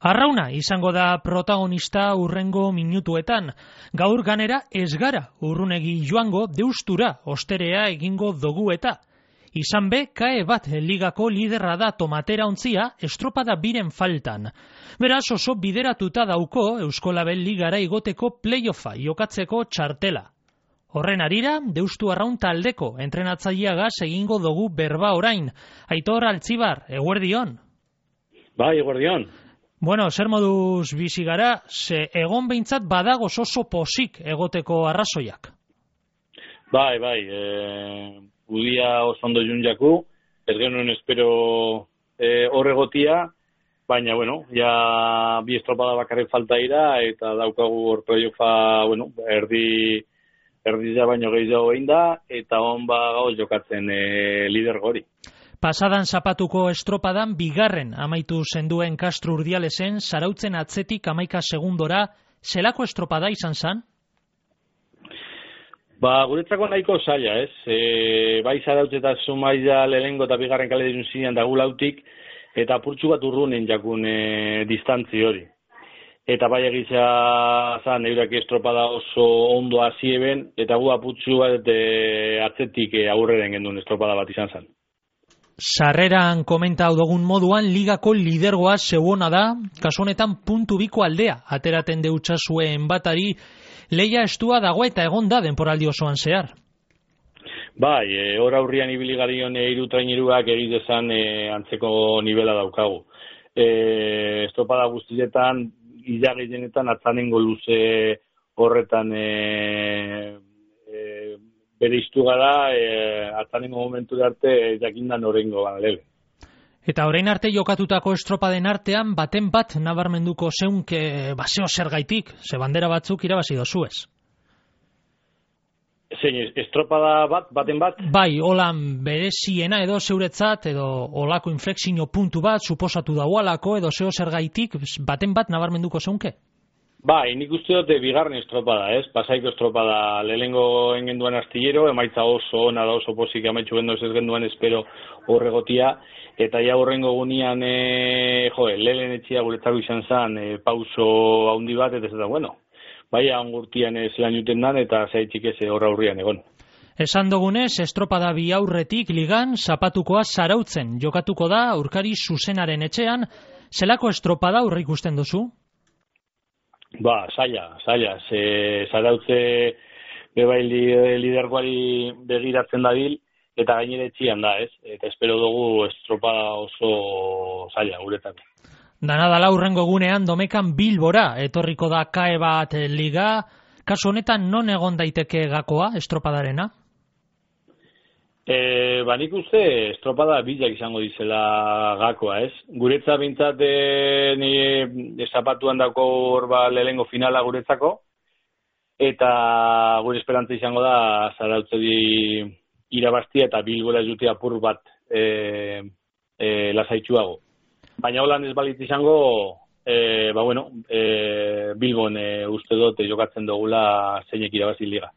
Arrauna izango da protagonista hurrengo minutuetan. Gaur ganera ez gara urrunegi joango deustura osterea egingo dugu eta. Izan be, kae bat ligako liderra da tomatera ontzia estropada biren faltan. Beraz oso bideratuta dauko Euskolabel ligara igoteko playoffa jokatzeko txartela. Horren arira, deustu arraun taldeko entrenatzaileagaz egingo dugu berba orain. Aitor Altzibar, eguerdion. Bai, eguerdion. Bueno, zer moduz bizi gara, ze egon behintzat badagoz oso posik egoteko arrazoiak. Bai, udia oso ondo junjaku, ez genuen espero horregotia, baina, bueno, ja bi estropada bakarrik falta ira, eta daukagu hor playoffa, bueno, erdizia baino gehiago egin da, eta gauz jokatzen lider gori. Pasadan zapatuko estropadan bigarren amaitu zenduen Castro Urdialesen, Zarautzen atzetik 11 segundora, zelako estropada izan zen? Guretzako nahiko zaila, ez? Bai Zarautz eta Zumaia lehenengo eta bigarren kale dizun zinean dagulautik, eta apurtxu bat urrunen jakun distantzi hori. Eta bai egizia zan, eurak estropada oso ondo hazieben, eta gu apurtxu bat atzetik aurreren genduen estropada bat izan zen. Sarreran komentau dugun moduan ligako lidergoa zeuona da, kasu honetan puntu biko aldea, ateraten deutsazuen batari, leia estua dago eta egon da denporaldi osoan zehar. Bai, hor aurrian ibiligarrion irutraineruak egitezan antzeko nivela daukagu. Estropada guztietan, ilagilenetan atzanengo luze horretan bere iztu gara, atzanengo momentu arte jakindan orengo lebe. Eta orain arte jokatutako estropaden artean, baten bat nabarmenduko zeunke baseo zergaitik, ze bandera batzuk irabazi dozuez. Zein, estropada baten bat? Bai, holan bereziena edo zeuretzat, edo olako inflexio puntu bat, suposatu daualako, edo zeo zergaitik, baten bat nabarmenduko zeunke? Bai, nik uste dut bigarren estropada, ez? Pasaiko estropada lehenengo engenduan astillero, emaitza oso ona da, oso posik amaitxu gendu ez genduan espero horregotia, eta ja horrengo gunean, lehen etxia guretzako izan zen, pauso haundi bat, eta bueno, bai angurtian zelan juten dan, eta zaitxik ez horra aurrian egon. Esan dugunez, estropada bi aurretik ligan, zapatukoa Zarautzen jokatuko da, aurkari zuzenaren etxean, zelako estropada aurre ikusten duzu? Zaila, Zarautze bebai lidergoari begiratzen dabil, eta gainere etxian da, ez? Eta espero dugu estropada oso zaila guretako. Dana dala hurrengo egunean Domekan Bilbora etorriko da kae bat liga, kasu honetan non egon daiteke gakoa estropadarena? Nik uste estropada bilak izango dizela gakoa, ez? Guretza bintzat ni zapatuan dako horba lehengo finala guretzako, eta gure esperantza izango da Zarautzedi irabaztia eta Bilbora jutea apur bat lasaitxuago. Baina holan ez balit izango, Bilbon uste dut jokatzen dugula zeinek irabazi liga.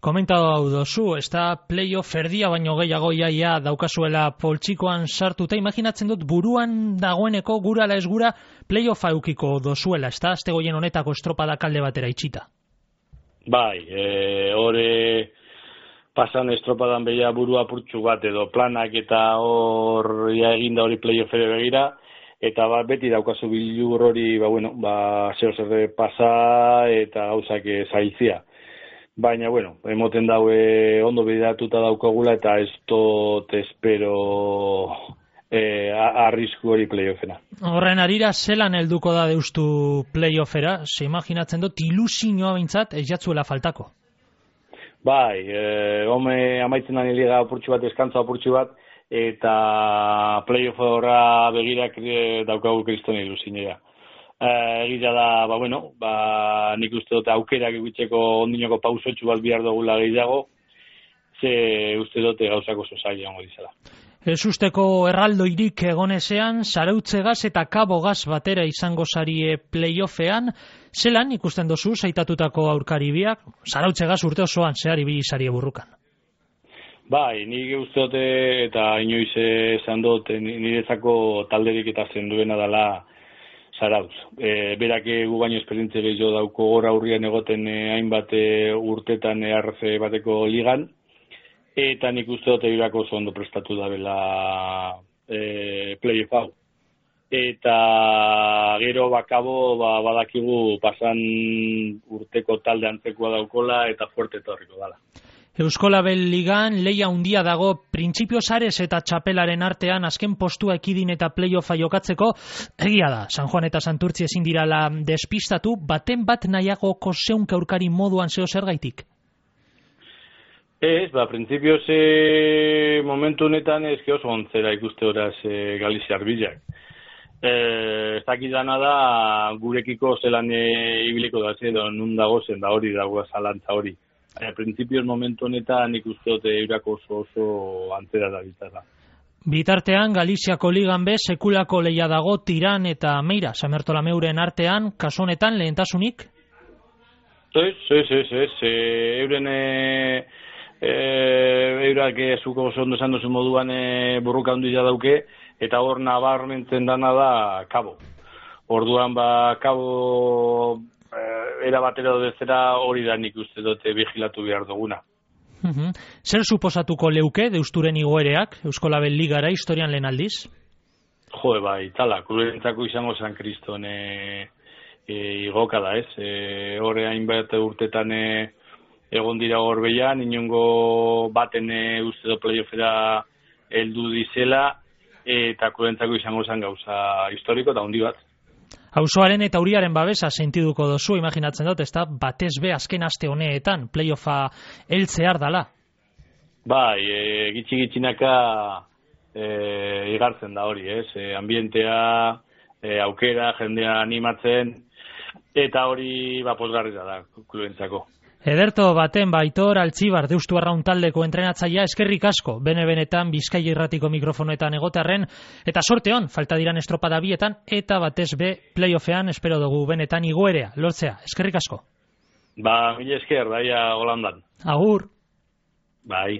Komentatu hau dozu, ez da playoff erdia baino gehiago iaia daukazuela poltsikoan sartuta, imaginatzen dut buruan dagoeneko gura ala ez gura playoffa eukiko dozuela, ez da, azte goien honetako estropada kalde batera itxita. Bai, hori pasan estropadan behia burua purtsu bat edo planak eta hor eginda hori playoffere begira, eta beti daukazu bilur hori, zer pasa eta gauzak zailtzia. Baina, emoten daue ondo bideratuta daukagula eta ez dut espero arrisku hori playoffena. Horren arira, zelan helduko da deustu playoffera? Se imaginatzen dut ilusioa bintzat ez jatzuela faltako. Bai, amaitzen da liga apurtxu bat, eskantza apurtxu bat, eta playoff horra begirak daukagu kriston ilusioa. Egia da, nik uste dut aukerak egitzeko ondinoko pausotxu bat bihar dugula gehiago, ze uste dut gauzako sozaila hongo dizela. Ez usteko erraldoirik egonezean, Zarautzegaz eta Kabogaz batera izango zarie playoffean, zelan ikusten dozu zaitatutako aurkari biak, Zarautzegaz urte osoan zehar ibili zarie burrukan? Bai, nik uste dute eta inoiz esan dut niretzako talderik eta zenduena dela Zarauz. Berak gu baino esperientzia gehiago dauko gora aurrian egoten hainbat urtetan RC bateko ligan, eta nik uste dut Eurako oso ondo prestatu da bela playoff hau. Eta gero bakabo badakigu pasan urteko talde antzekoa daukola eta fuerte etorriko dala. Euskolabel Ligan leia handia dago printzipio Sares eta Txapelaren artean azken postua ekidin eta playoffa jokatzeko. Egia da, San Juan eta Santurtzi ezin dirala despistatu, baten bat nahiagoko zeunka aurkari moduan zeo zergaitik? Ez, printzipioz momentu honetan ez oso ontzera ikuste horaz Galiziar bilak. Ez dakidana da gurekiko zelan ibiliko da edo nun dago zen da hori dago zalantza hori. Printzipioz momentu honetan ikuste dute Eurako oso antzera da bizarra. Bitartean, Galiziako Ligan be sekulako leia dago Tiran eta Meira, Samertolameuren artean, kasu honetan lehentasunik? Ez. Euren Eurak zuko oso ondo esan duzu moduan burruka handia dauke, eta hor nabarmentzen dana da Kabo. Orduan Kabo era batera dezera hori da nik uste dute vigilatu behar duguna. Zer suposatuko leuke deusturen igoereak Euskolabel Ligara historian lehen aldiz? Tala, klubentzako izango San Kriston igoka da, ez? Horre hainbat urtetan egon dira Gorbeian, inongo baten uste do playoffera heldu dizela, eta klubentzako izango zen gauza historiko eta handi bat. Auzoaren eta Uriaren babesa sentiduko dozu, imaginatzen dut, ezta batez be azken aste honeetan playoffa heltzear dala. Gitxinaka igartzen da hori, ez? Ambientea, aukera, jendea animatzen, eta hori pozgarria da klubentzako. Ederto baten Aitor Altzibar Deustu Arraun taldeko entrenatzailea eskerrik asko, benetan Bizkaia Irratiko mikrofonoetan egotearren, eta sorte on, falta diran estropada bietan, eta batez be playoffean espero dugu benetan igoerea, lortzea, eskerrik asko. Mila esker, daia Holandan. Agur. Bai.